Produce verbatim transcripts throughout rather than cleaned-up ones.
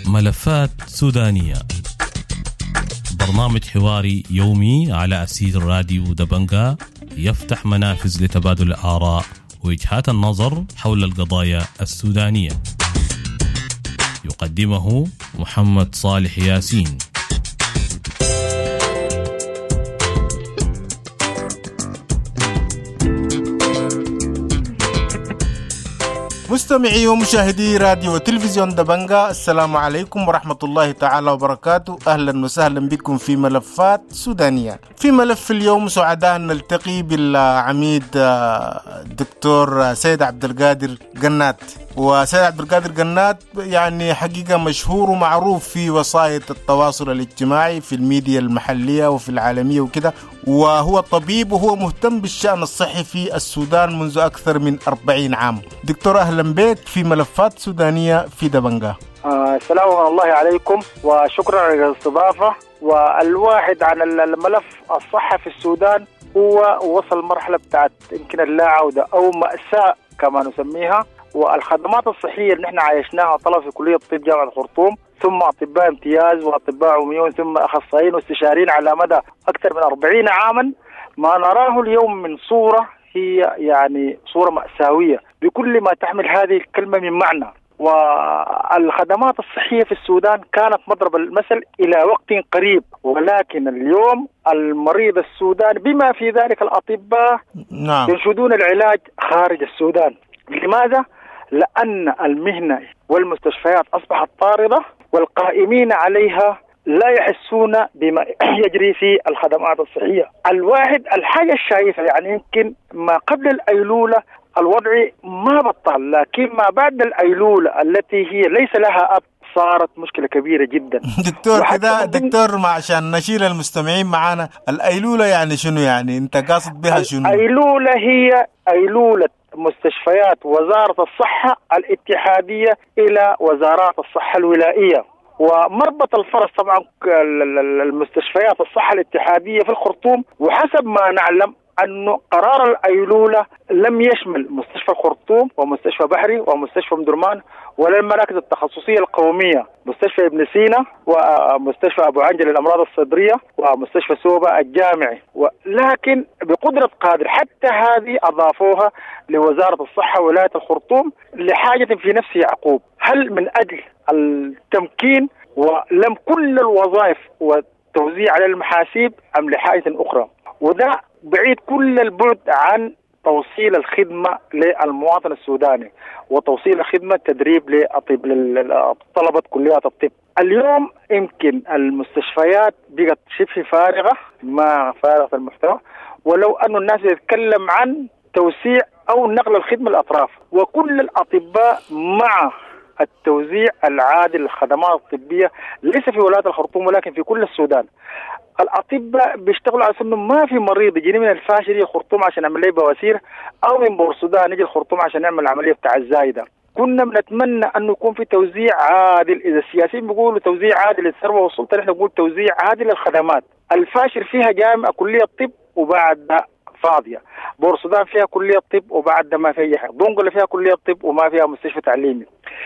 ملفات سودانية، برنامج حواري يومي على أسير راديو دبنجا، يفتح منافذ لتبادل الآراء ووجهات النظر حول القضايا السودانية. يقدمه محمد صالح ياسين. مستمعي ومشاهدي راديو وتلفزيون دبنجا، السلام عليكم ورحمة الله تعالى وبركاته. أهلا وسهلا بكم في ملفات سودانية. في ملف اليوم سعداء نلتقي بالعميد الدكتور سيد عبد القادر قنات. وسيد عبد القادر قنات يعني حقيقة مشهور ومعروف في وسائل التواصل الاجتماعي في الميديا المحلية وفي العالمية وكده، وهو طبيب وهو مهتم بالشأن الصحي في السودان منذ أكثر من أربعين عام. دكتور أهلا بك في ملفات سودانية في دبنجا. آه السلام الله عليكم وشكرا على الاستضافة. والواحد عن الملف الصحة في السودان هو وصل مرحلة بتاعت يمكن اللا عودة أو مأساة كما نسميها. والخدمات الصحية اللي نحن عايشناها طلبة في كلية الطب جامعة الخرطوم، ثم أطباء امتياز وأطباء عموميون، ثم أخصائيين واستشاريين على مدى أكثر من أربعين عاما، ما نراه اليوم من صورة هي يعني صورة مأساوية بكل ما تحمل هذه الكلمة من معنى. والخدمات الصحية في السودان كانت مضرب المثل إلى وقت قريب، ولكن اليوم المريض السوداني بما في ذلك الأطباء نعم. ينشدون العلاج خارج السودان. لماذا؟ لأن المهنة والمستشفيات أصبحت طاردة، والقائمين عليها لا يحسون بما يجري في الخدمات الصحية. الواحد الحاجة الشايفة يعني يمكن ما قبل الأيلولة الوضع ما بطل، لكن ما بعد الأيلولة التي هي ليس لها أب صارت مشكلة كبيرة جدا. دكتور كده دكتور، ما عشان نشيل المستمعين معانا، الأيلولة يعني شنو؟ يعني أنت قاصد بها شنو؟ الأيلولة هي أيلولة مستشفيات وزارة الصحة الاتحادية إلى وزارات الصحة الولائية. ومربط الفرس طبعا المستشفيات الصحة الاتحادية في الخرطوم، وحسب ما نعلم أن قرار الأيلولة لم يشمل مستشفى الخرطوم ومستشفى بحري ومستشفى مدرمان ولا المراكز التخصصية القومية، مستشفى ابن سينا ومستشفى أبو عنجل للأمراض الصدرية ومستشفى سوبا الجامعي. ولكن بقدرة قادر حتى هذه أضافوها لوزارة الصحة ولاية الخرطوم لحاجة في نفس يعقوب. هل من أجل التمكين ولم كل الوظائف والتوزيع على المحاسيب أم لحاجة أخرى؟ وده بعيد كل البعد عن توصيل الخدمة للمواطن السوداني وتوصيل الخدمة تدريب لأطب لطلبة كليات الطب. اليوم يمكن المستشفيات بقت شبه فارغة، ما فارغة المحتوى، ولو أن الناس يتكلم عن توسيع أو نقل الخدمة الأطراف. وكل الأطباء مع التوزيع العادل للخدمات الطبية ليس في ولاية الخرطوم ولكن في كل السودان. الأطباء بيشتغلوا على أنه ما في مريض يجيني من الفاشر يجي الخرطوم عشان يعمل لي بواسير، أو من بورسودان يجي الخرطوم عشان يعمل عملية بتاع الزايدة. كنا بنتمنى أنه يكون في توزيع عادل. إذا السياسيين بيقولوا توزيع عادل للثروة والسلطة، نحن نقول توزيع عادل للخدمات. الفاشر فيها جامعة كلية الطب وبعد فاضية، بورسودان فيها كلية طب وبعد ما فيها حاجة، دنقلة فيها كلية طب وما فيها مستشفى تعليمي.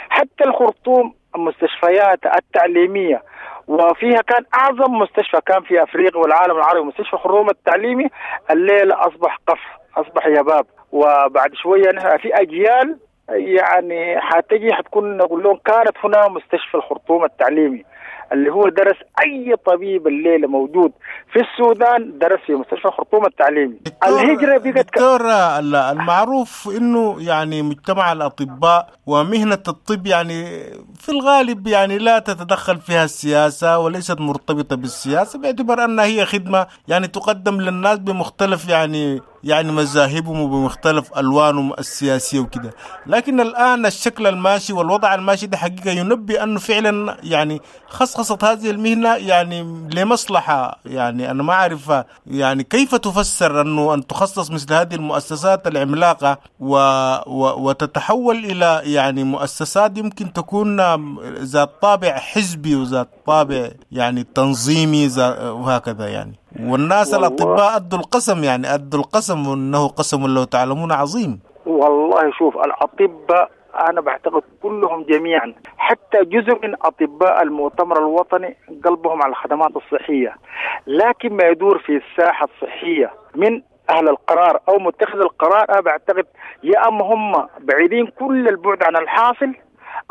حتى الخرطوم المستشفيات التعليمية وفيها كان أعظم مستشفى كان في أفريقيا والعالم العربي مستشفى خرطوم التعليمي، الليلة أصبح قفر، أصبح يباب. وبعد شوية نحن في أجيال يعني حتجي حتكون نقول لهم كانت هنا مستشفى الخرطوم التعليمي اللي هو درس أي طبيب الليلة موجود في السودان درس في مستشفى الخرطوم التعليمي. الهجرة بقت دكتور المعروف إنه يعني مجتمع الأطباء ومهنة الطب يعني في الغالب يعني لا تتدخل فيها السياسة وليست مرتبطة بالسياسة، باعتبار أنها هي خدمة يعني تقدم للناس بمختلف يعني يعني مذاهبهم وبمختلف ألوانهم السياسية وكده. لكن الآن الشكل الماشي والوضع الماشي ده حقيقة ينبي أنه فعلا يعني خصخصت هذه المهنة يعني لمصلحة، يعني أنا ما أعرف يعني كيف تفسر أنه أن تخصص مثل هذه المؤسسات العملاقة و و وتتحول إلى يعني مؤسسات يمكن تكون ذات طابع حزبي وذات طابع يعني تنظيمي وهكذا يعني. والناس الأطباء أدوا القسم، يعني أدوا القسم وأنه قسم لو تعلمون عظيم. والله شوف، الأطباء أنا بعتقد كلهم جميعا، حتى جزء من أطباء المؤتمر الوطني قلبهم على الخدمات الصحية، لكن ما يدور في الساحة الصحية من أهل القرار أو متخذ القرار، أنا بعتقد يا أما هم بعيدين كل البعد عن الحاصل،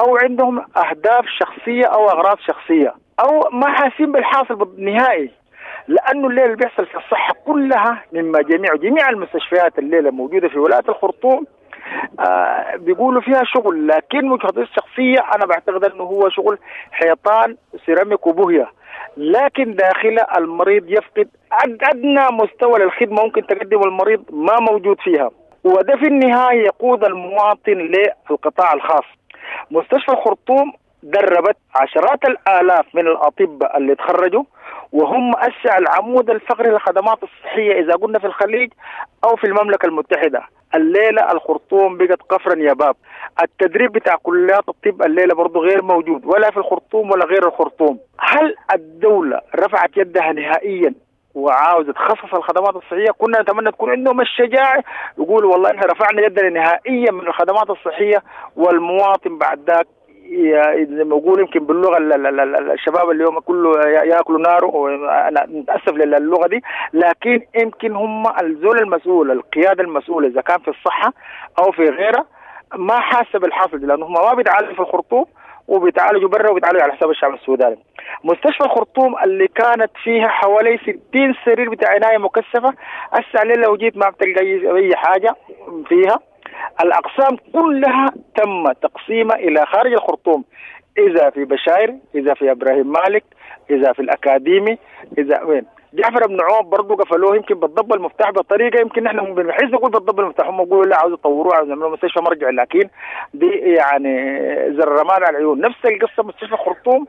أو عندهم أهداف شخصية أو أغراض شخصية، أو ما حاسين بالحاصل نهائي. لأنه الليلة اللي بيحصل في الصحة كلها مما جميع جميع المستشفيات الليلة موجودة في ولاية الخرطوم آه بيقولوا فيها شغل، لكن وجهة الشخصية أنا بعتقد أنه هو شغل حيطان سيراميك وبوهية، لكن داخل المريض يفقد أدنى مستوى للخدمة ممكن تقدمه المريض ما موجود فيها، وده في النهاية يقود المواطن للقطاع الخاص. مستشفى الخرطوم دربت عشرات الآلاف من الأطباء اللي تخرجوا، وهم أسع العمود الفقري للخدمات الصحية إذا قلنا في الخليج أو في المملكة المتحدة. الليلة الخرطوم بقت قفرا يا باب. التدريب بتاع كليات الطب الليلة برضو غير موجود، ولا في الخرطوم ولا غير الخرطوم. هل الدولة رفعت يدها نهائيا وعاوزة تخصص الخدمات الصحية؟ كنا نتمنى تكون عندهم الشجاعة يقولوا والله إحنا رفعنا يدنا نهائيا من الخدمات الصحية، والمواطن بعد ذاك زي ما يقول يمكن باللغة الشباب اليوم كله ياكلوا ناره، انا متاسف للغة دي، لكن يمكن هم الزول المسؤول، القيادة المسؤولة اذا كان في الصحة او في غيرها ما حاسه بالحاصل، لانه هم ما بيتعالجوا في الخرطوم وبيتعالجوا برا وبيتعالجوا على حساب الشعب السوداني. مستشفى الخرطوم اللي كانت فيها حوالي ستين سرير بتاع عناية مكثفة، هسه لو جيت ما بتلقى اي حاجة فيها. الأقسام كلها تم تقسيمها إلى خارج الخرطوم، إذا في بشاير، إذا في إبراهيم مالك، إذا في الأكاديمي، إذا وين جعفر بن عوف برضه قفلوه يمكن بالضب المفتاح بطريقة يمكن نحن بنحس نقول بالضب المفتاح، هم يقولوا لا عاوز يطوروه، عاوز يعملوا مستشفى مرجع، لكن دي يعني زر الرماد على العيون. نفس القصة مستشفى الخرطوم،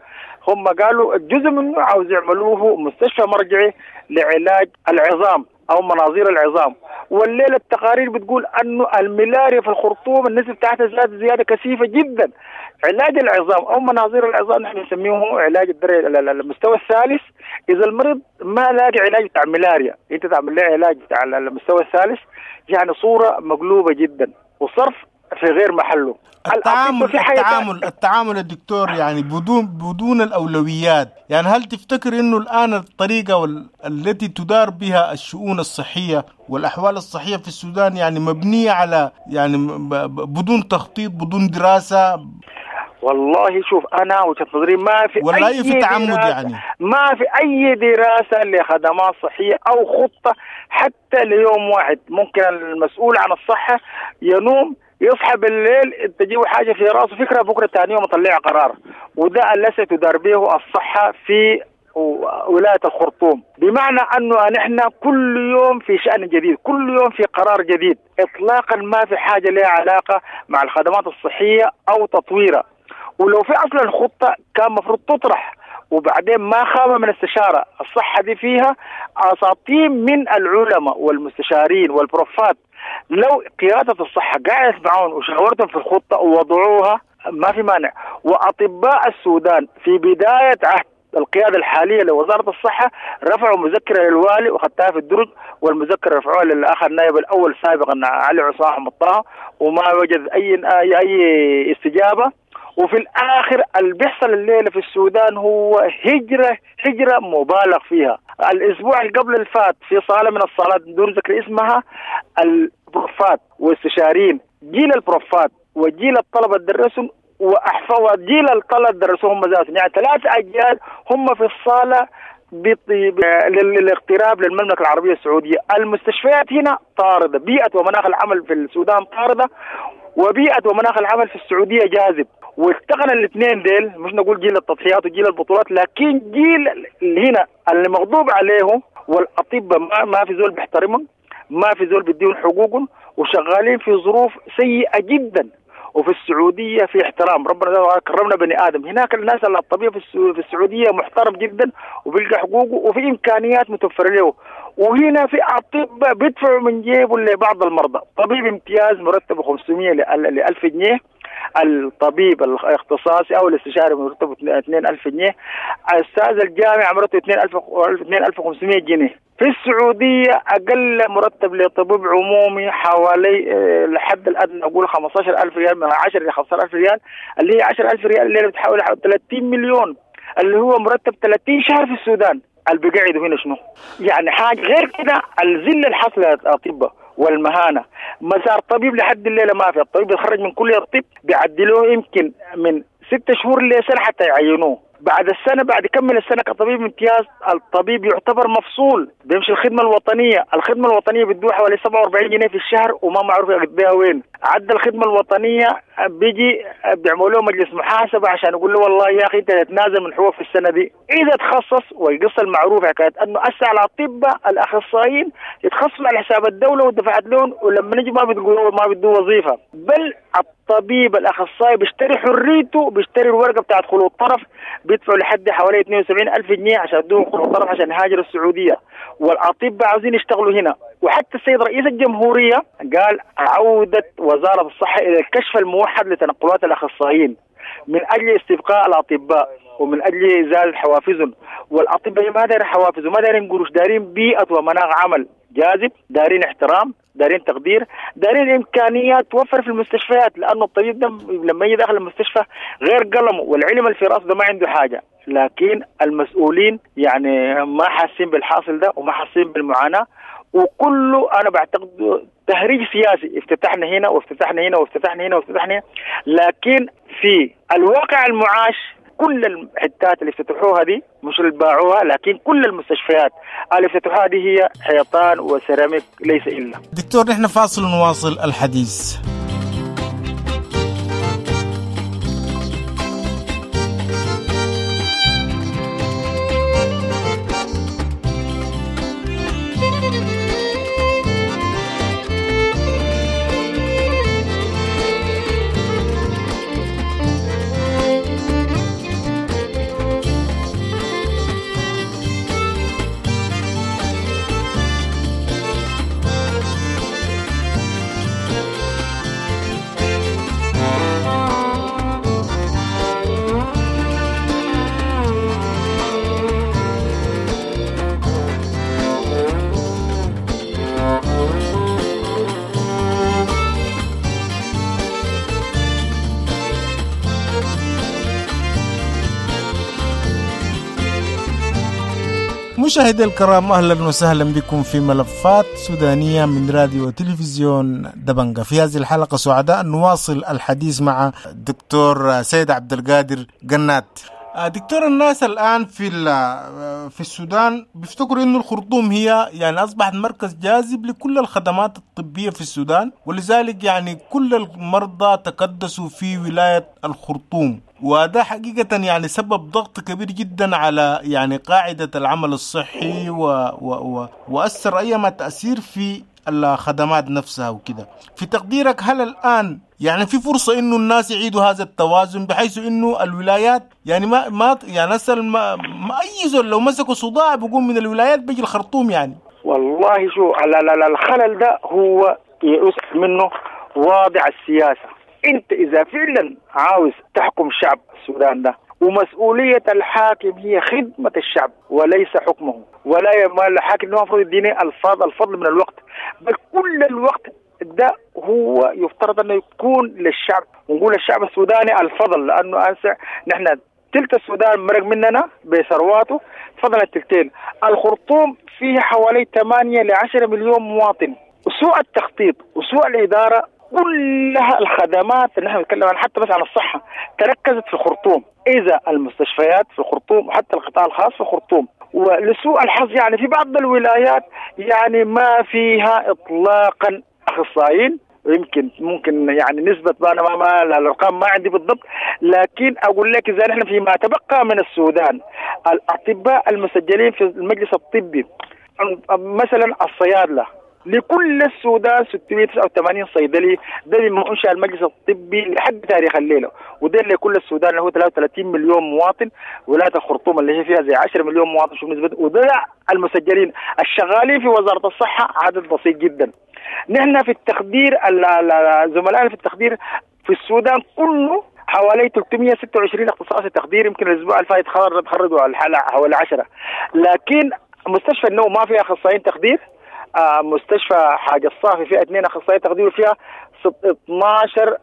هم قالوا الجزء منه عاوز يعملوه مستشفى مرجعي لعلاج العظام أو مناظير العظام. والليلة التقارير بتقول أنه الملاريا في الخرطوم النسبة بتاعتها زادت زيادة كثيفة جدا. علاج العظام أو مناظير العظام نحن نسميه علاج الدرجة المستوى الثالث. إذا المريض ما لاقي علاج بتاع ملاريا، أنت تعمل له علاج بتاع المستوى الثالث، يعني صورة مقلوبة جدا وصرف في غير محله. التعامل التعامل التعامل الدكتور يعني بدون بدون الأولويات، يعني هل تفتكر إنه الآن الطريقة التي تدار بها الشؤون الصحية والأحوال الصحية في السودان يعني مبنية على يعني بدون تخطيط، بدون دراسة؟ والله شوف، أنا وجهة نظري ما في ولا أي في تعمد، يعني ما في أي دراسة لخدمات صحية أو خطة حتى ليوم واحد. ممكن المسؤول عن الصحة ينوم يصحى بالليل تجيب حاجة في راسه فكرة، بكرة ثاني يوم يطلع قرار، وده الذي تدار به الصحة في ولاية الخرطوم. بمعنى أنه نحن كل يوم في شأن جديد، كل يوم في قرار جديد، إطلاقا ما في حاجة لها علاقة مع الخدمات الصحية أو تطويرها. ولو في أصلا خطة كان مفروض تطرح، وبعدين ما خاب من استشارة. الصحة دي فيها أساطين من العلماء والمستشارين والبروفات، لو قيادة الصحة قعدت معهم وشاورتهم في الخطة ووضعوها ما في مانع. وأطباء السودان في بداية عهد القيادة الحالية لوزارة الصحة رفعوا مذكرة للوالي وخدتها في الدرج، والمذكرة رفعوها للآخر النائب الأول سابقا علي عصام أحمد طه، وما وجد أي أي استجابة. وفي الآخر اللي بيحصل الليلة في السودان هو هجرة هجرة مبالغ فيها. الأسبوع اللي قبل الفات في صالة من الصالات دون ذكر اسمها، البروفات واستشارين، جيل البروفات وجيل الطلبة درسوا وأحفوا جيل الطلبة درسوا هم ذاتهم، يعني ثلاث أجيال هم في الصالة للاغتراب للمملكة العربية السعودية. المستشفيات هنا طاردة، بيئة ومناخ العمل في السودان طاردة، وبيئة ومناخ العمل في السعودية جاذب. والتقنا الاثنين ديل، مش نقول جيل التضحيات وجيل البطولات، لكن جيل هنا اللي مغضوب عليهم، والأطباء ما, ما في زول بيحترمهم، ما في زول بيديهم حقوقهم، وشغالين في ظروف سيئة جدا. وفي السعودية في احترام، ربنا كرمنا بني آدم هناك. الناس الطبيب في السعودية محترم جدا وبيلقى حقوقه وفي إمكانيات متوفرة له. وهنا في أطباء بيدفعوا من جيبه لبعض المرضى. طبيب امتياز مرتبه خمسمية ل ألف جنيه، الطبيب الاختصاصي أو الاستشاري مرتبه اثنين ألف جنيه، أستاذ الجامعة مرتبه اثنين ألف وخمسمائة جنيه. في السعودية أقل مرتب لطبيب عمومي حوالي لحد الأدنى أقول خمسة عشر ألف ريال، من عشرة إلى خمسة عشر ألف ريال، اللي هي عشرة ألف ريال اللي بتحاول ثلاثين مليون، اللي هو مرتب ثلاثين شهر في السودان. اللي بيقعدوا هنا شنو؟ يعني حاجة غير كده. الذلة الحصلة للأطباء والمهانة، مسار طبيب لحد الليلة ما في. الطبيب يتخرج من كلية الطب بيعدلوه يمكن من ست شهور لسنة حتى يعينوه. بعد السنة، بعد كمل السنة كطبيب امتياز، الطبيب يعتبر مفصول، بيمشي الخدمة الوطنية. الخدمة الوطنية بتدوه حوالي سبعة وأربعين جنيه في الشهر وما معروف يقضيها وين. عدى الخدمة الوطنية بيجي بيعملوا له مجلس محاسبة عشان يقول له والله يا أخي أنت تتنازل من حقوق في السنة دي. إذا تخصص، والقصة المعروفة حكاية أنه أسع الأطباء الأخصائيين يتخصصوا على حساب الدولة ودفعت لهم، ولما نجي ما بتقولوا ما بدوا وظيفة. بل الطبيب الأخصائي بيشتري حريته، بيشتري الورقة بتاعت خلو الطرف، بيدفعوا لحد حوالي اثنين وسبعين ألف جنيه عشان يدوهم خلو الطرف عشان يهاجروا السعودية. والأطباء عاوزين يشتغلوا هنا. وحتى السيد رئيس الجمهورية قال عودة وزارة الصحة إلى الكشف الموحد لتنقلات الأخصائيين من أجل استبقاء الأطباء ومن أجل إزالة حوافزهم. والأطباء ما دارين حوافز وما دارين قروش، دارين بيئة ومناخ عمل جاذب، دارين احترام، دارين تقدير، دارين إمكانيات توفر في المستشفيات. لأنه الطبيب ده لما يجي داخل المستشفى غير قلمه والعلم اللي في رأسه ده ما عنده حاجة. لكن المسؤولين يعني ما حاسين بالحاصل ده وما حاسين بالمعاناة، وكله أنا بعتقد تهريج سياسي. افتتحنا هنا وافتتحنا هنا وافتتحنا هنا وافتتحنا هنا، لكن في الواقع المعاش كل الحتات اللي افتتحوها دي مش اللي باعوها، لكن كل المستشفيات اللي افتتحوها دي هي حيطان وسيراميك ليس إلا. دكتور نحن فاصل ونواصل الحديث. مشاهدي الكرام، أهلا وسهلا بكم في ملفات سودانية من راديو وتلفزيون دبنجة. في هذه الحلقة سعداء نواصل الحديث مع الدكتور سيد عبد القادر قنات. دكتور، الناس الآن في في السودان بيفتكروا إنه الخرطوم هي يعني أصبحت مركز جاذب لكل الخدمات الطبية في السودان، ولذلك يعني كل المرضى تكدسوا في ولاية الخرطوم، وهذا حقيقة يعني سبب ضغط كبير جدا على يعني قاعدة العمل الصحي و و و وأثر أيما تأثير في الخدمات نفسها وكده. في تقديرك هل الآن يعني في فرصة إنه الناس يعيدوا هذا التوازن بحيث إنه الولايات يعني ما ما يعني أصل ما, ما أي زول لو مسكوا صداع بيقوم من الولايات بيجي الخرطوم يعني؟ والله شو على الخلل ده هو يؤسف منه واضع السياسة. أنت إذا فعلا عاوز تحكم شعب السودان ده، ومسؤولية الحاكم هي خدمة الشعب وليس حكمه، ولا الحاكم المفروض يديني الفضل الفضل من الوقت، بل كل الوقت ده هو يفترض أنه يكون للشعب، ونقول الشعب السوداني الفضل، لأنه أنسى نحن تلت السودان مرق مننا بثرواته، فضل التلتين. الخرطوم فيه حوالي ثمانية لعشرة مليون مواطن. وسوء التخطيط وسوء الإدارة كلها الخدمات اللي نحن نتكلم عنها حتى بس عن الصحة تركزت في الخرطوم، إذا المستشفيات في الخرطوم وحتى القطاع الخاص في الخرطوم. ولسوء الحظ يعني في بعض الولايات يعني ما فيها إطلاقا أخصائيين، يمكن ممكن يعني نسبة أنا ما, ما الأرقام ما عندي بالضبط، لكن أقول لك إذا نحن فيما تبقى من السودان الأطباء المسجلين في المجلس الطبي مثلا الصيادلة لكل السودان ستمائة وتسعة وثمانين صيدلي، ده مما أنشأ المجلس الطبي لحد تاريخ الليلة، وده لكل السودان اللي هو ثلاثة وثلاثين مليون مواطن، ولاية الخرطوم اللي هي فيها زي عشرة مليون مواطن شوف نسبة. وده المسجلين الشغالين في وزارة الصحة عدد بسيط جدا. نحن في التخدير زملائنا في التخدير في السودان كله حوالي ثلاثمية وستة وعشرين اختصاصي تخدير، يمكن الاسبوع الفات تخرجوا على الحالة حوالي عشرة. لكن مستشفى النو ما فيها اخصائيين تخدير، آه مستشفى حاجة الصافي فيها اثنين اخصائيين تخدير وفيها اثناشر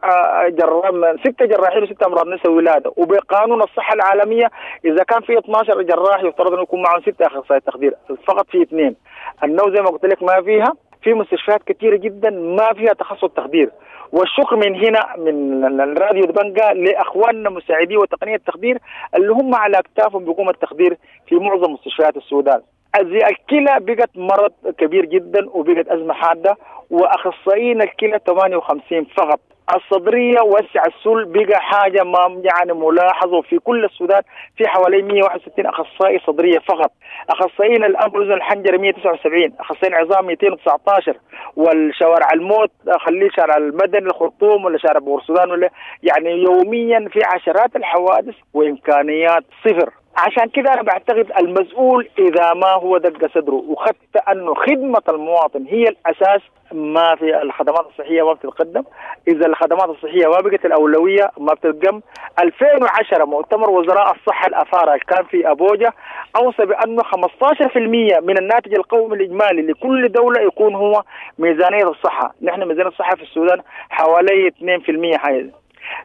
جراح، ستة جراحين وستة امراض نساء ولاده. وبقانون الصحة العالمية اذا كان في اثناشر جراح يفترض انه يكون معهم ستة اخصائيين تخدير، فقط في اثنين. النو زي ما قلت لك ما فيها، في مستشفيات كثيرة جدا ما فيها تخصص تخدير. والشكر من هنا من الراديو دبنجا لاخواننا مساعدي وتقنية التخدير اللي هم على اكتافهم بيقوم التخدير في معظم مستشفيات السودان. الكلى بقت مرض كبير جدا وبقت ازمة حادة، واخصائيين الكلى ثمانية وخمسين فقط. الصدرية وسع السل بقى حاجة ما يعني ملاحظة في كل السودان، في حوالي مية وواحد وستين اخصائي صدريه فقط. اخصائيين الانف والاذن الحنجرة مية وتسعة وسبعين، اخصائيين عظام مئتين وتسعة عشر، والشوارع الموت خليه شارع المدني الخرطوم ولا شارع بورسودان ولا يعني يوميا في عشرات الحوادث وامكانيات صفر. عشان كده انا بعتقد المسؤول اذا ما هو دق صدره وخدت انه خدمة المواطن هي الاساس، ما في الخدمات الصحية ما بتتقدم. اذا الخدمات الصحية ما بقت الاولوية ما بتتقدم. ألفين وعشرة مؤتمر وزراء الصحة الافارقة كان في ابوجا اوصى بانه خمسة عشر بالمئة من الناتج القومي الاجمالي لكل دولة يكون هو ميزانية الصحة. نحن ميزانية الصحة في السودان حوالي اثنين بالمئة حاجة.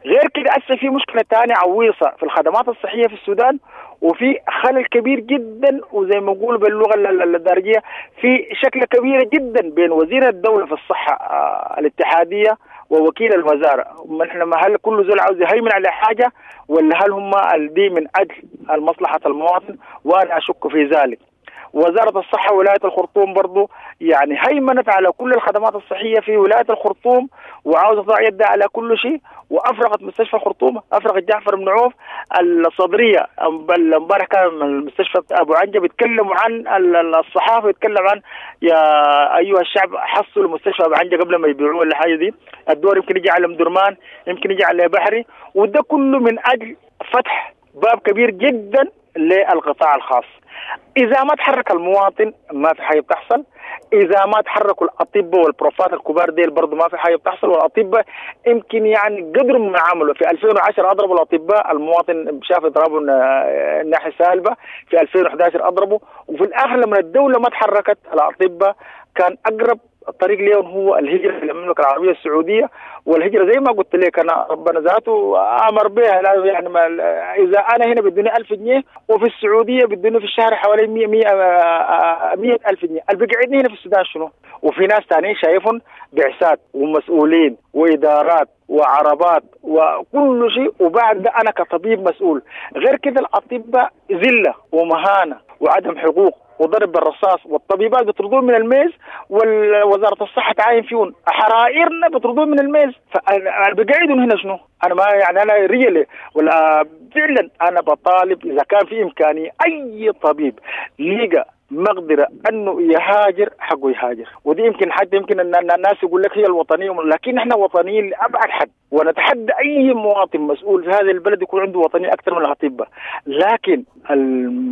غير كده هسه في مشكلة ثانية عويصة في الخدمات الصحية في السودان، وفي خلل كبير جدا، وزي ما نقول باللغة الدارجيه في شكل كبيرة جدا بين وزير الدولة في الصحة الاتحادية ووكيل الوزارة. نحن ما هل كل زول عاوز يهيمن على حاجة ولا هل هم دي من اجل المصلحة المواطن؟ وانا اشك في ذلك. وزارة الصحة ولاية الخرطوم برضو يعني هيمنت على كل الخدمات الصحية في ولاية الخرطوم، وعاوزة تضع يدها على كل شيء، وأفرغت مستشفى الخرطوم، أفرغت جعفر بن عوف الصدرية. امبارح كان المستشفى أبو عنجة بيتكلموا عن الصحافة، بيتكلم عن يا أيها الشعب حصلوا مستشفى أبو عنجة قبل ما يبيعوه ولا حاجة دي. الدور يمكن يجي على مدرمان، يمكن يجي على بحري، وده كله من أجل فتح باب كبير جدا للقطاع الخاص. إذا ما تحرك المواطن ما في حاجة بتحصل، إذا ما تحركوا الأطباء والبروفات الكبار ديل برضو ما في حاجة بتحصل. والأطباء يمكن يعني قدروا ما عملوا في ألفين وعشرة أضربوا الأطباء، المواطن شاف إضرابهم الناحية سالبة، في ألفين وأحد عشر أضربوا، وفي الآخر لما الدولة ما تحركت الأطباء كان أقرب الطريق ليهم هو الهجرة إلى المملكة العربية السعودية. والهجرة زي ما قلت لك أنا ربنا ذاته أمر بها، يعني ما إذا أنا هنا بدوني ألف جنيه وفي السعودية بدوني في الشهر حوالي مية مية مية ألف جنيه، اللي بيقعدني هنا في السودان شنو؟ وفي ناس تانيين شايفهم بعثات ومسؤولين وإدارات وعربات وكل شيء، وبعد ده أنا كطبيب مسؤول. غير كده الأطباء ذلة ومهانة وعدم حقوق وضرب بالرصاص، والطبيبات بيطردون من الميز، ووزارة الصحة تعاين فيهم، حرائرنا بيطردون من الميز. فبقعدهم هنا شنو؟ أنا ما يعني أنا ريلي ولا فعلا أنا بطالب إذا كان في إمكانية أي طبيب لقى مقدرة أنه يهاجر حقه يهاجر. ودي يمكن حتى يمكن أن الناس يقول لك هي الوطنية، لكن احنا وطنيين لأبعد حد، ونتحدى أي مواطن مسؤول في هذا البلد يكون عنده وطنية أكثر من الأطباء. لكن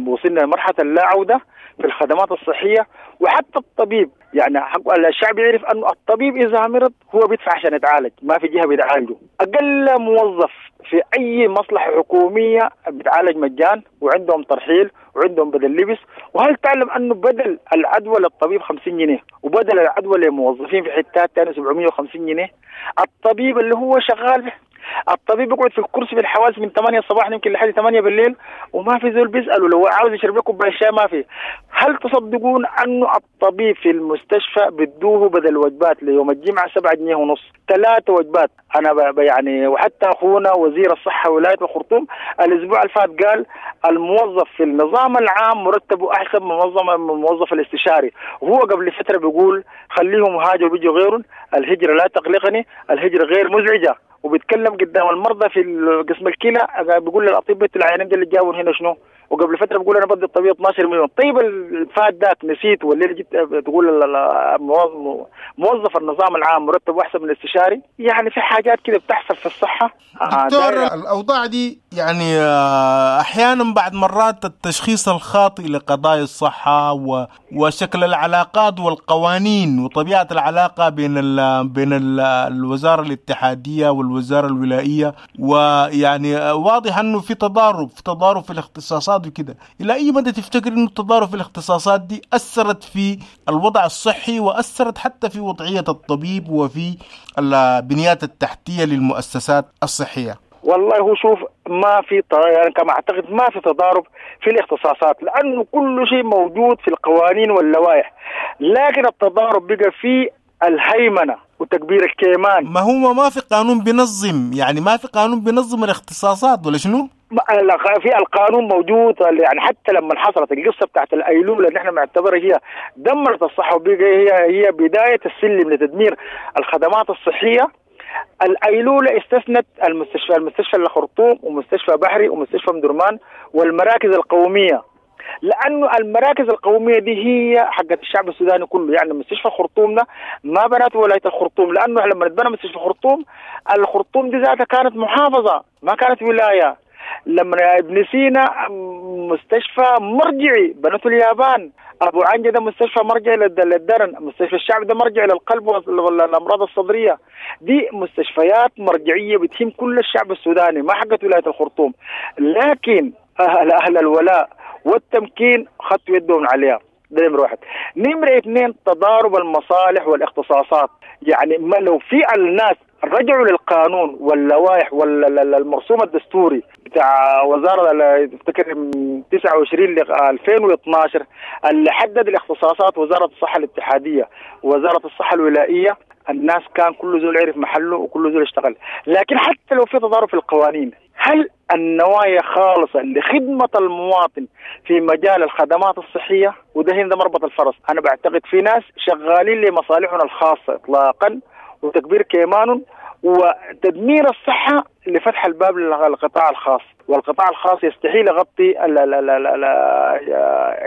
وصلنا لمرحلة اللا عودة في الخدمات الصحية، وحتى الطبيب يعني حق الشعب يعرف أنه الطبيب إذا مرض هو بيدفع عشان يتعالج، ما في جهة بيتعالجه. أقل موظف في أي مصلحة حكومية بيتعالج مجان، وعندهم ترحيل وعندهم بدل لبس. وهل تعلم أنه بدل العدوى للطبيب خمسين جنيه، وبدل العدوى للموظفين في حتات ثانية سبعمية وخمسين جنيه؟ الطبيب اللي هو شغال، الطبيب بيقعد في الكرسي في الحواس من ثمانية الصباح يمكن لحد ثمانية بالليل، وما في زول بيسأله لو عاوز يشرب لكم كوباية شاي ما في. هل تصدقون انه الطبيب في المستشفى بدوه بدل وجبات ليوم الجمعة سبعة جنيه ونص، ثلاثة وجبات؟ انا يعني وحتى اخونا وزير الصحة ولاية الخرطوم الاسبوع الفات قال الموظف في النظام العام مرتبه احسن من الموظف الاستشاري، وهو قبل فترة بيقول خليهم هاجروا بيجوا غيرهم، الهجرة لا تقلقني، الهجرة غير مزعجة. وبيتكلم قدام المرضى في قسم الكلى بيقول للاطباء العيانين اللي جابوا هنا شنو؟ وقبل فترة بقول انا بدي الطبيب اثناشر مليون. طيب الفات ذاك نسيت ولا جيت تقول موظف النظام العام مرتب احسن من الاستشاري؟ يعني في حاجات كده بتحصل في الصحة. دكتور الاوضاع دي يعني احيانا بعد مرات التشخيص الخاطئ لقضايا الصحة وشكل العلاقات والقوانين وطبيعه العلاقة بين ال بين ال الوزارة الاتحادية والوزارة الولائيه، ويعني واضح انه في تضارب في تضارب في الاختصاصات وكده. الى اي مدى تفتكر انه التضارب في الاختصاصات دي اثرت في الوضع الصحي واثرت حتى في وضعية الطبيب وفي البنيات التحتية للمؤسسات الصحية؟ والله هو شوف، ما في يعني كما اعتقد ما في تضارب في الاختصاصات، لانه كل شيء موجود في القوانين واللوائح، لكن التضارب بقى في الهيمنة وتكبير الكيمان. ما هو ما في قانون بينظم، يعني ما في قانون بينظم الاختصاصات ولا شنو؟ في القانون موجود، يعني حتى لما حصلت القصة بتاعت الايلوله اللي احنا بنعتبرها هي دمرت الصحة وبقى هي هي بداية السلم لتدمير الخدمات الصحية. الايلوله استثنت المستشفى المستشفى الخرطوم ومستشفى بحري ومستشفى مدرمان والمراكز القومية، لانه المراكز القومية دي هي حقت الشعب السوداني كله. يعني مستشفى الخرطوم ده ما بنته ولاية الخرطوم، لانه لما اتبنى مستشفى الخرطوم الخرطوم دي ذاتها كانت محافظة ما كانت ولاية. لما ابن سينا مستشفى مرجعي بنته اليابان، ابو عنجه ده مستشفى مرجعي للدرن، مستشفى الشعب ده مرجعي للقلب والامراض الصدرية. دي مستشفيات مرجعية بتهم كل الشعب السوداني، ما حقت ولاية الخرطوم. لكن اهل اهل الولاء والتمكين خدوا يدهم عليها. ده نمرة واحد. نمرة اثنين، تضارب المصالح والاختصاصات. يعني ما لو في الناس رجعوا للقانون واللوائح والمرسوم الدستوري بتاع وزارة افتكر تسعة وعشرين ل ألفين واثناشر اللي حدد الاختصاصات وزارة الصحة الاتحادية ووزارة الصحة الولائية، الناس كان كل زول عرف محله وكل زول اشتغل. لكن حتى لو في تضارب في القوانين، هل النوايا خالصة لخدمة المواطن في مجال الخدمات الصحية؟ وده هنا مربط الفرس. أنا بعتقد في ناس شغالين لمصالحنا الخاصة إطلاقا وتكبير كيمان وتدمير الصحة لفتح الباب للقطاع الخاص، والقطاع الخاص يستحيل يغطي ال ال ال ال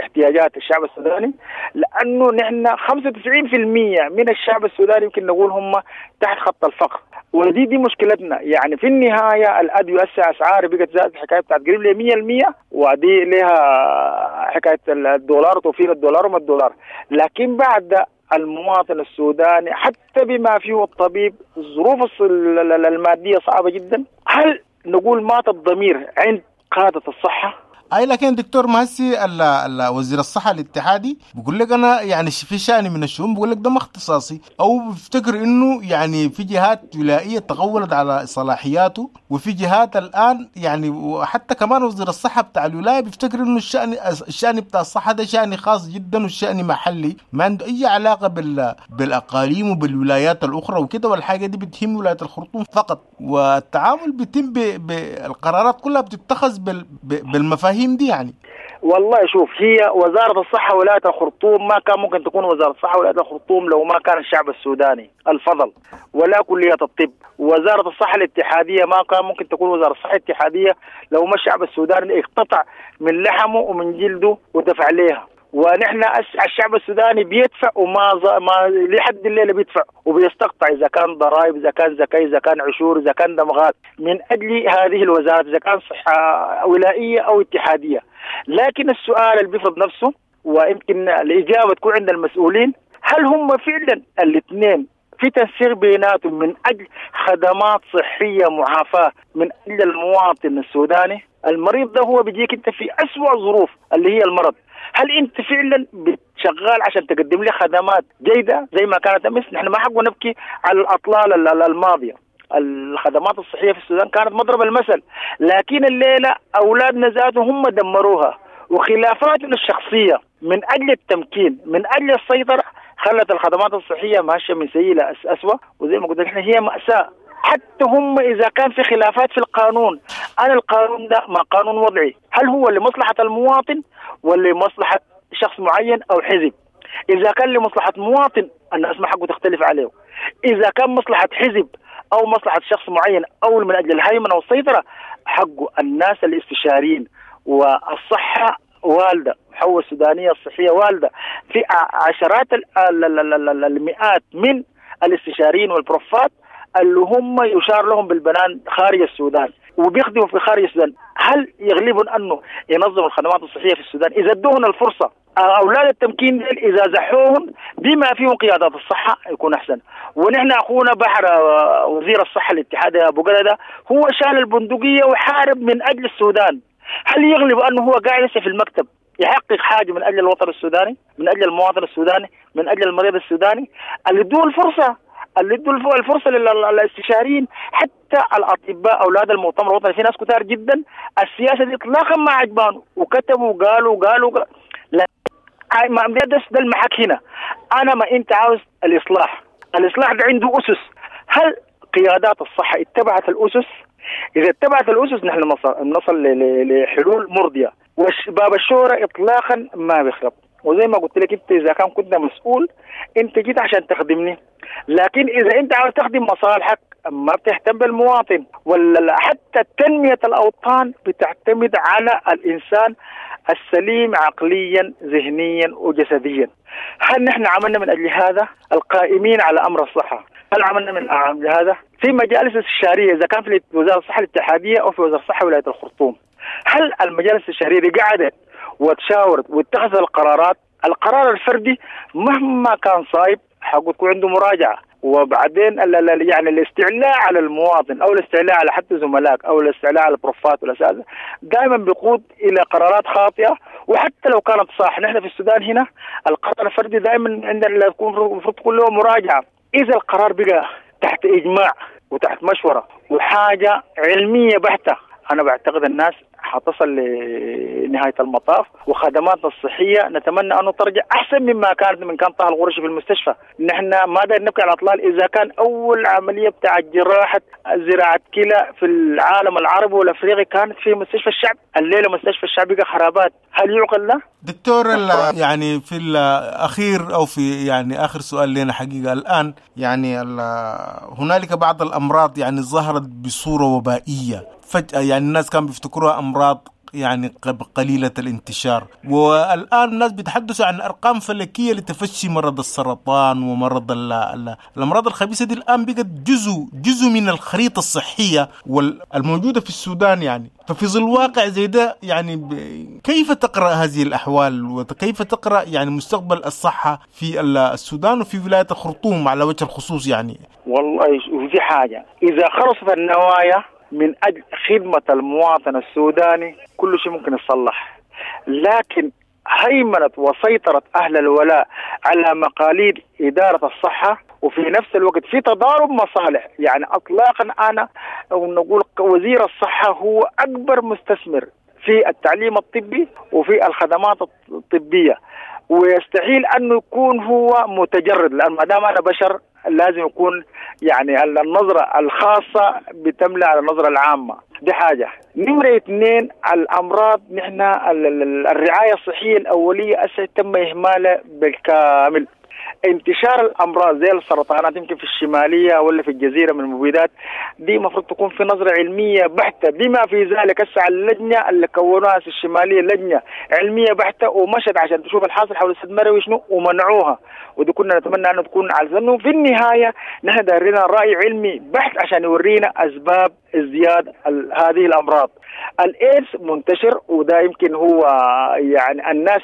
احتياجات الشعب السوداني، لأنه نحن خمسة وتسعين بالمئة من الشعب السوداني يمكن نقول هم تحت خط الفقر، ودي دي مشكلتنا. يعني في النهاية الأدوية أسعار بقت زادت حكاية بتاعت قريب ل مية بالمية، ودي لها حكاية الدولار وتوفير الدولار وما الدولار. لكن بعد المواطن السوداني حتى بما فيه الطبيب الظروف المادية صعبة جدا. هل نقول مات الضمير عند قادة الصحة؟ اي لكن دكتور مهسي وزير الصحة الاتحادي بيقول لك انا يعني في شأن من الشؤون بيقول لك ده ما اختصاصي، او بيفتكر انه يعني في جهات ولائيه تغولت على صلاحياته، وفي جهات الان يعني وحتى كمان وزير الصحة بتاع الولاية بيفتكر انه الشأن الشأن بتاع الصحة ده شأن خاص جدا والشأن محلي ما عنده اي علاقة بال بالاقاليم وبالولايات الاخرى وكده، والحاجة دي بتهم ولاية الخرطوم فقط، والتعامل بيتم بالقرارات كلها بتتخذ بال بالمفاهيم دي يعني. والله شوف، هي وزارة الصحة ولاية الخرطوم ما كان ممكن تكون وزارة الصحة ولاية الخرطوم لو ما كان الشعب السوداني الفضل، ولا كلية الطب. وزارة الصحة الاتحادية ما كان ممكن تكون وزارة الصحة الاتحادية لو ما الشعب السوداني اقتطع من لحمه ومن جلده ودفع ليها. ونحن الشعب السوداني بيدفع وما ما لحد الليلة بيدفع وبيستقطع، اذا كان ضرائب، اذا كان زكاة، اذا كان عشور، اذا كان دمغات، من اجل هذه الوزارات، اذا كان صحة ولائيه او اتحادية. لكن السؤال اللي بيفرض نفسه ويمكن الاجابة تكون عند المسؤولين، هل هم فعلا الاثنين في تنسيق بيناتهم من اجل خدمات صحية معافاه من اجل المواطن السوداني؟ المريض ده هو بيجيك انت في اسوأ ظروف اللي هي المرض، هل انت فعلا شغال عشان تقدم لي خدمات جيدة زي ما كانت امس؟ نحن ما حقنا نبكي على الاطلال الماضية. الخدمات الصحية في السودان كانت مضرب المثل، لكن الليلة اولادنا ذاتهم هم دمروها، وخلافاتنا الشخصية من اجل التمكين من اجل السيطرة خلت الخدمات الصحية ماشية من سيء الى اسوء. وزي ما قلت احنا هي ماساة. حتى هم إذا كان في خلافات في القانون، أنا القانون ده ما قانون وضعي، هل هو لمصلحة المواطن ولا لمصلحة شخص معين أو حزب؟ إذا كان لمصلحة مواطن الناس ما حقه تختلف عليه، إذا كان مصلحة حزب أو مصلحة شخص معين أو من أجل الهيمنة والسيطرة حقه الناس الاستشاريين والصحة والدة، حواء السودانية الصحية والدة، في عشرات المئات من الاستشاريين والبروفات اللي هم يشار لهم بالبنان خارج السودان وبيخدموا في خارج السودان. هل يغلبهم أنه ينظموا الخدمات الصحية في السودان؟ إذا ادوهم الفرصة، أولاد التمكين إذا زحوهم بما فيهم قيادات الصحة يكون أحسن. ونحن أخونا بحر وزير الصحة الاتحادي أبو قردة هو شال البندقية وحارب من أجل السودان. هل يغلب أنه هو قاعد في المكتب يحقق حاجة من أجل الوطن السوداني، من أجل المواطن السوداني، من أجل المريض السوداني؟ اللي ادوه الفرصة، اللي ادوا الفرصة للاستشاريين، حتى الأطباء أولاد المؤتمر الوطني في ناس كتار جدا السياسة دي إطلاقا ما عجبان وكتبوا وقالوا وقالوا لا ما ده ده المحك هنا. أنا ما أنت عاوز الإصلاح، الإصلاح ده عنده أسس. هل قيادات الصحة اتبعت الأسس؟ إذا اتبعت الأسس نحن نصل نصل لحلول مرضية. وباب الشورى إطلاقا ما بيخرب. وزي ما قلت لك أنت إذا كان كنت مسؤول أنت جيت عشان تخدمني، لكن إذا أنت عاوز تخدم مصالحك ما بتهتم بالمواطن. ولا حتى تنمية الأوطان بتعتمد على الإنسان السليم عقليا ذهنيا وجسديا. هل نحن عملنا من أجل هذا؟ القائمين على أمر الصحة هل عملنا من أجل هذا؟ في مجالس استشارية إذا كان في وزارة الصحة الاتحادية أو في وزارة الصحة ولاية الخرطوم، هل المجالس الاستشارية دي قعدت وتشاورت واتخذت القرارات؟ القرار الفردي مهما كان صايب حقه تكون عنده مراجعة. وبعدين يعني الاستعلاء على المواطن او الاستعلاء على حتى زملائك او الاستعلاء على البروفات والاساتذه دائما بيقود الى قرارات خاطئه، وحتى لو كانت صح. نحن في السودان هنا القرار الفردي دائما عندنا المفروض تكون له مراجعه. اذا القرار بقى تحت اجماع وتحت مشورة وحاجه علمية بحته، انا بعتقد الناس حتصل لنهاية المطاف، وخدماتنا الصحية نتمنى أنه ترجع أحسن مما كانت من كان طه الغرشي في المستشفى. نحن ما داير نبكي على الأطلال. إذا كان أول عملية بتاع جراحة زراعة كلى في العالم العربي والأفريقي كانت في مستشفى الشعب، الليلة مستشفى الشعب بقى خرابات، هل يعقل له؟ دكتور يعني في الأخير أو في يعني آخر سؤال لنا حقيقة الآن، يعني هنالك بعض الأمراض يعني ظهرت بصورة وبائية فجأة، يعني الناس كانوا بيفتكروها أمراض يعني قليلة الانتشار، والآن الناس بيتحدثوا عن أرقام فلكية لتفشي مرض السرطان ومرض ال ال الأمراض الخبيثة دي. الآن بقت جزء جزء من الخريطة الصحية والموجودة في السودان يعني. ففي ظل واقع زي ده يعني كيف تقرأ هذه الأحوال وكيف تقرأ يعني مستقبل الصحة في السودان وفي ولاية الخرطوم على وجه الخصوص؟ يعني والله في حاجة، إذا خلصت النوايا من أجل خدمة المواطن السوداني كل شيء ممكن يصلح، لكن هيمنت وسيطرت أهل الولاء على مقاليد إدارة الصحة، وفي نفس الوقت في تضارب مصالح. يعني أطلاقا أنا نقول وزير الصحة هو أكبر مستثمر في التعليم الطبي وفي الخدمات الطبية، ويستحيل أنه يكون هو متجرد، لأن ما دام أنا بشر لازم يكون يعني النظرة الخاصة بتملأ على النظرة العامة. دي حاجة. نمرة اثنين، الأمراض نحن الرعاية الصحية الأولية أسا تم إهمالها بالكامل. انتشار الأمراض زي السرطانات يمكن في الشمالية ولا في الجزيرة من المبيدات دي مفروض تكون في نظرة علمية بحتة، بما في ذلك هسه اللجنة اللي كونوها في الشمالية لجنة علمية بحتة ومشت عشان تشوف الحاصل حول السد مروي شنو ومنعوها، ودي كنا نتمنى أنه تكون على انه في النهاية نحن دايرين رأي علمي بحت عشان يورينا أسباب ازدياد هذه الأمراض. الإيدز منتشر، وده يمكن هو يعني الناس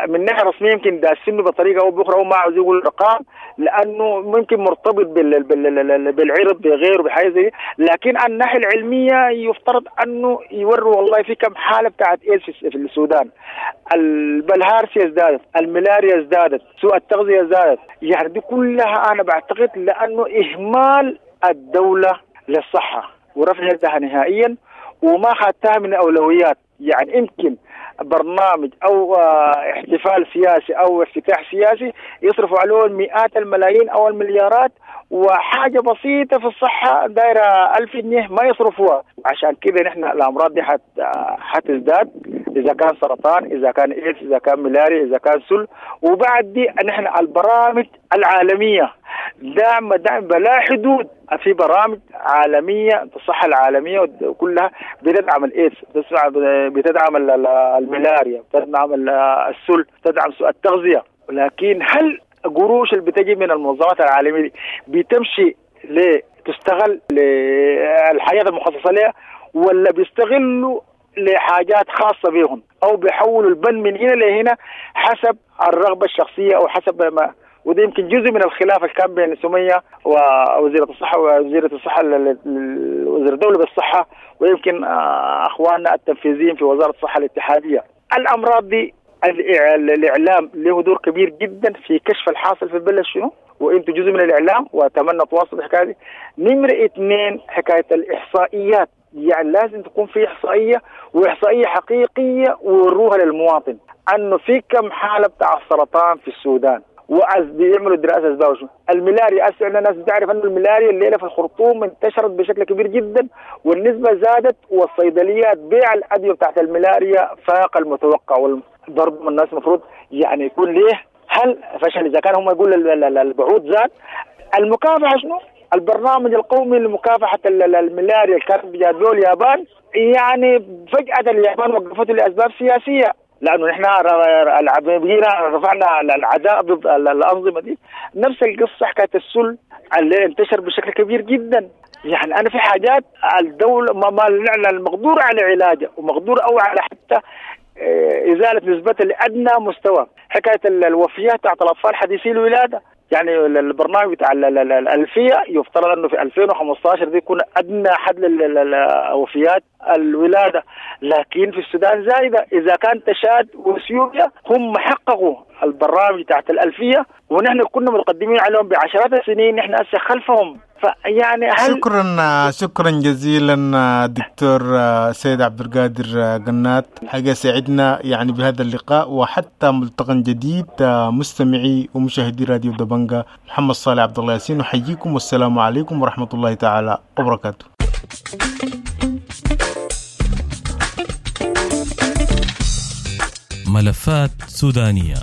من ناحية رسمية يمكن داسينه بطريقة أو بأخرى وما عاوز يقول الأرقام لأنه ممكن مرتبط بالعرض بغيره بحاجة زي، لكن عن الناحية العلمية يفترض أنه يوروا والله في كم حالة بتاعت إيدز في السودان. البلهارسيا ازدادت، الملاريا ازدادت، سوء التغذية ازدادت، يعني دي كلها أنا بعتقد لأنه إهمال الدولة للصحة ورفع يدها نهائيا وما خدتها من أولويات. يعني يمكن برنامج أو احتفال سياسي أو افتتاح سياسي يصرفوا عليه مئات الملايين أو المليارات، وحاجة بسيطة في الصحة دايرة ألف جنيه ما يصرفوها. عشان كده نحن الأمراض دي حتزداد اذا كان سرطان، اذا كان ايدز، اذا كان ملاريا، اذا كان سل. وبعد دي نحن البرامج العالمية دعم دعم بلا حدود، في برامج عالمية الصحة العالمية كلها بتدعم الايدز، بتدعم الملاريا، بتدعم السل، بتدعم سوء التغذية. ولكن هل القروش اللي بتجي من المنظمات العالمية دي بتمشي لتستغل للحاجات المخصصة لها، ولا بيستغلوا لحاجات خاصة بهم، أو بيحولوا البن من هنا لهنا حسب الرغبة الشخصية أو حسب ما؟ وده يمكن جزء من الخلاف اللي كان بين سمية ووزيرة الصحة ووزيرة الصحة وزير الدولة بالصحة، ويمكن أخواننا التنفيذيين في وزارة الصحة الاتحادية. الأمراض دي الإعلام له دور كبير جدا في كشف الحاصل في البلد شنو، وانتم جزء من الإعلام وأتمنى تواصلوا الحكاية دي. نمرة اثنين حكاية الإحصائيات، يعني لازم تكون في إحصائية، وإحصائية حقيقية ووروها للمواطن أنه في كم حالة بتاع السرطان في السودان، وبيعملوا دراسة أسباب شنو. الملاريا هسه الناس بتعرف أنه الملاريا الليلة في الخرطوم انتشرت بشكل كبير جدا والنسبة زادت، والصيدليات بيع الأدوية بتاعت الملاريا فاق المتوقع. والضرب الناس المفروض يعني يكون ليه هل فشل إذا كان هم يقول البعوض زاد. المكافحة شنو؟ البرنامج القومي لمكافحة الملاريا اللي كان بيجادلوه اليابان، يعني فجأة اليابان وقفته لأسباب سياسية، لأنه نحن رفعنا العداء ضد الأنظمة دي. نفس القصة حكاية السل اللي انتشر بشكل كبير جدا. يعني أنا في حاجات الدولة ما ما المقدور على علاجها ومقدور أو على حتى إزالة نسبتها لأدنى مستوى. حكاية الوفيات بتاعت الأطفال حديثي الولادة، يعني البرنامج بتاع الألفية يفترض أنه في ألفين وخمسة عشر دي يكون أدنى حد للوفيات الولادة، لكن في السودان زايدة. إذا كان تشاد وإثيوبيا هم حققوا البرنامج تحت الألفية ونحن كنا متقدمين عليهم بعشرات السنين، نحن هسه خلفهم. فيعني هل شكرا شكرا جزيلا دكتور سيد عبد القادر قنات، حاجة سعدنا يعني بهذا اللقاء، وحتى ملتقى جديد مستمعي ومشاهدي راديو دبنجا، محمد صالح عبد الله ياسين أحييكم، والسلام عليكم ورحمة الله تعالى وبركاته. ملفات سودانية،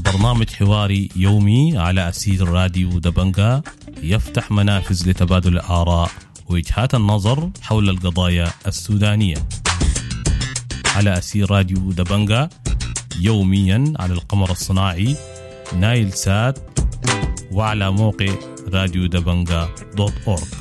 برنامج حواري يومي على أسير راديو دبنجا، يفتح منافذ لتبادل الآراء ووجهات النظر حول القضايا السودانية على أسير راديو دبنجا، يوميا على القمر الصناعي نايل سات وعلى موقع راديو دبنجا دوت أورج.